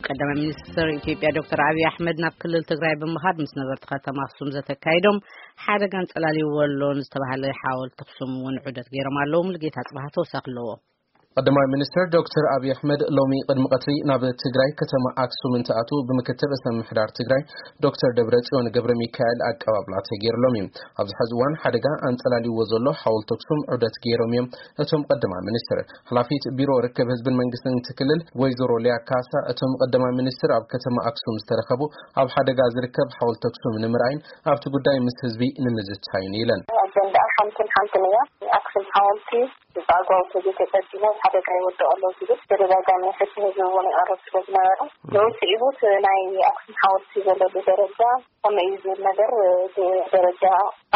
ቀዳማይ ሚኒስትር ኢትዮጵያ ዶክተር ኣብይ ኣሕመድ ናብ ክልል ትግራይ ብምኻድ ምስ ነበርቲ ከተማ ኣክሱም ዘተካይዶም፣ ሓደጋ ኣንጸላልይዎ ኣሎ ንዝተባሃለ ሓወልቲ ኣክሱም እውን ዑደት ገይሮም ኣለዉ። ሙሉጌታ ጽባህ ተወሳኺ ኣለዎ። ቀዳማይ ሚኒስትር ዶክተር ኣብይ ኣሕመድ ሎሚ ቅድሚ ቀትሪ ናብ ትግራይ ከተማ ኣክሱም እንትኣትዉ፣ ብምክትል ርእሰ ምምሕዳር ትግራይ ዶክተር ደብረጽዮን ገብረ ሚካኤል ኣቀባብላ ተገይርሎም እዩ። ኣብዚ ሕዚ እዋን ሓደጋ ኣንጸላልይዎ ዘሎ ሓወልቲ ኣክሱም ዑደት ገይሮም እዮም እቶም ቀዳማይ ሚኒስትር። ሓላፊት ቢሮ ርክብ ህዝብን መንግስትን እቲ ክልል ወይዘሮ ሊያ ካሳ፣ እቶም ቀዳማይ ሚኒስትር ኣብ ከተማ ኣክሱም ዝተረኸቡ፣ ኣብ ሓደጋ ዝርከብ ሓወልቲ ኣክሱም ንምርኣይን ኣብቲ ጉዳይ ምስ ህዝቢ ንምዝታይን ኢለን። ኣጀንዳ ሓንትን ሓንትን እያ። ኣክሱም ሓወልቲ ብኣግባቡ ተዘይተጸጊሙ ኣብ ሓደጋ ይወድቕ ኣሎ ዝብል ተደጋጋሚ ሕቶ ህዝቢ እውን ይቐርብ ስለ ዝነበረ፣ ብውጽኢቱ እቲ ናይ ኣክሱም ሓወልቲ ዘለሉ ደረጃ ከመይ እዩ ዝብል ነገር፣ እቲ ደረጃ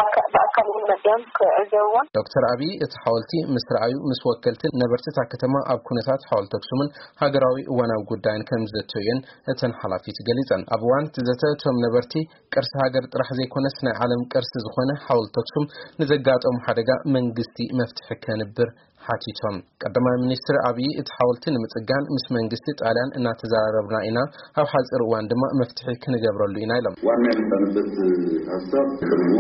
ኣካ-፣ ብኣካል እውን መጺኦም ክዕዘብዎን። ዶክተር ኣብይ እቲ ሓወልቲ ምስ ረኣዩ፣ ምስ ወከልትን ነበርቲ እታ ከተማ ኣብ ኩነታት ሓወልቲ ኣክሱምን ሃገራዊ እዋናዊ ጉዳይን ከም ዝዘተዩን እተን ሓላፊት ገሊጸን። ኣብ እዋን እቲ ዘተ እቶም ነበርቲ ቅርሲ ሃገር ጥራሕ ዘይኮነስ ናይ ዓለም ቅርሲ ዝኾነ ሓወልቲ ኣክሱም ንዘጋጠሙ ሓደጋ መንግስቲ መፍትሒ ከንብር ሓቲቶም። ቀዳማይ ሚኒስትር ኣብይ እቲ ሓወልቲ ንምጽጋን ምስ መንግስቲ ጣልያን እናተዘራረብና ኢና፣ ኣብ ሓጺር እዋን ድማ መፍትሒ ክንገብረሉ ኢና ኢሎም። ዋና የመጣንበት ሀሳብ ቅርቡ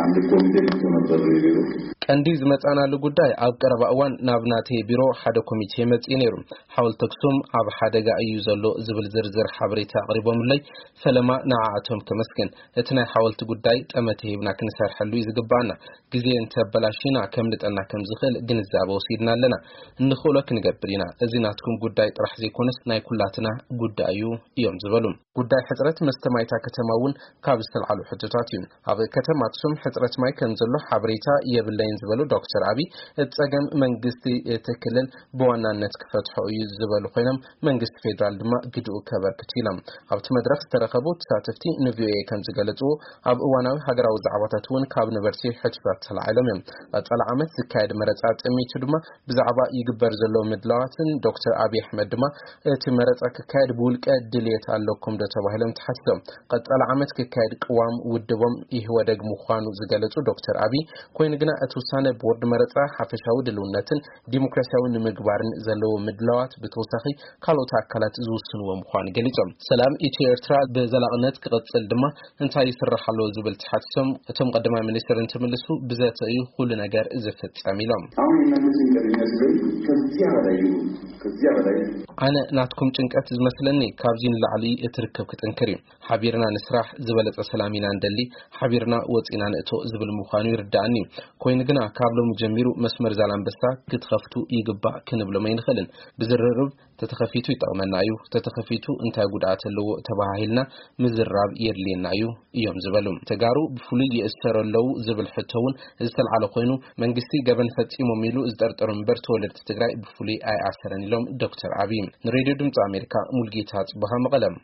አንድ ኮሚቴ መጥቶ ነበር ቢሮ። ቀንዲ ዝመጻናሉ ጉዳይ ኣብ ቀረባ እዋን ናብ ናተይ ቢሮ ሓደ ኮሚቴ መጺኡ ነይሩ። ሓወልቲ ኣክሱም ኣብ ሓደጋ እዩ ዘሎ ዝብል ዝርዝር ሓበሬታ ኣቕሪቦምለይ፣ ፈለማ ንዓኣቶም ከመስግን። እቲ ናይ ሓወልቲ ጉዳይ ጠመተ ሂብና ክንሰርሐሉ እዩ ዝግባኣና። ግዜ እንተበላሽና ከምልጠና ከም ዝኽእል ግንዛበ ወሲድና ኣለና። እንኽእሎ ክንገብር ኢና። እዚ ናትኩም ጉዳይ ጥራሕ ዘይኮነስ ናይ ኩላትና ጉዳይ እዩ እዮም ዝበሉ። ጉዳይ ሕጽረት መስተ ማይ እታ ከተማ እውን ካብ ዝተልዓሉ ሕቶታት እዩ። ኣብ ከተማ ኣክሱም ሕጽረት ማይ ከም ዘሎ ሓበሬታ የብለይን ዝበሉ ዶክተር ኣብይ፣ እቲ ጸገም መንግስቲ እቲ ክልል ብዋናነት ክፈትሖ እዩ ዝበሉ ኮይኖም፣ መንግስቲ ፌዴራል ድማ ግድኡ ከበርክት ኢሎም። ኣብቲ መድረኽ ዝተረኸቡ ተሳተፍቲ ንቪኦኤ ከም ዝገለጽዎ፣ ኣብ እዋናዊ ሃገራዊ ዛዕባታት እውን ካብ ነበርቲ ሕቶታት ተላዒሎም እዮም። ቀጻሊ ዓመት ዝካየድ መረጻ ጠሚቱ ድማ ብዛዕባ ይግበር ዘሎ ምድላዋትን ዶክተር ኣብይ ኣሕመድ ድማ እቲ መረጻ ክካየድ ብውልቀ ድልየት ኣለኩም ዶ ተባሂሎም ተሓቲቶም። ቀጻሊ ዓመት ክካየድ ቅዋም ውድቦም ኢህወደግ ምዃኑ ዝገለጹ ዶክተር ኣብይ፣ ኮይኑ ግና እቲ ውሳነ ቦርድ መረጻ ሓፈሻዊ ድልውነትን ዲሞክራሲያዊ ንምግባርን ዘለዎ ምድላዋት ብተወሳኺ ካልኦት ኣካላት ዝውስንዎ ምዃኑ ገሊጾም። ሰላም ኢትዮ ኤርትራ ብዘላቕነት ክቕጽል ድማ እንታይ ይስራሕ ኣሎ ዝብል ተሓቲቶም፣ እቶም ቀዳማይ ሚኒስትር እንትምልሱ ብዘተ እዩ ኩሉ ነገር ዝፍጸም ኢሎም። አሁን የእናንተ ጭንቀት የሚመስለኝ ከዚያ በላይ ነው። ከዚያ በላይ። ኣነ ናትኩም ጭንቀት ዝመስለኒ ካብዚ ንላዕሊ እቲ ርክብ ክጥንክር እዩ። ሓቢርና ንስራሕ፣ ዝበለጸ ሰላም ኢና ንደሊ፣ ሓቢርና ወጺና ንእቶ ዝብል ምዃኑ ይርዳኣኒ። ኮይኑ ግና ካብ ሎሚ ጀሚሩ መስመር ዛላንበሳ ክትኸፍቱ ይግባእ ክንብሎም ኣይንኽእልን። ብዝርርብ ተተኸፊቱ ይጠቕመና እዩ፣ ተተኸፊቱ እንታይ ጉድኣት ኣለዎ ተባሃሂልና ምዝራብ የድልየና እዩ እዮም ዝበሉ። ተጋሩ ብፍሉይ ይእሰሩ ኣለዉ ዝብል ሕቶ እውን ዝተልዓለ ኮይኑ፣ መንግስቲ ገበን ፈጺሞም ኢሉ ዝጠርጠሮም እምበር ተወለድቲ ትግራይ ብፍሉይ ኣይኣሰረን ኢሎም ዶክተር ኣብይ። ንሬድዮ ድምፂ ኣሜሪካ ሙልጌታ ጽቡሃ መቐለም።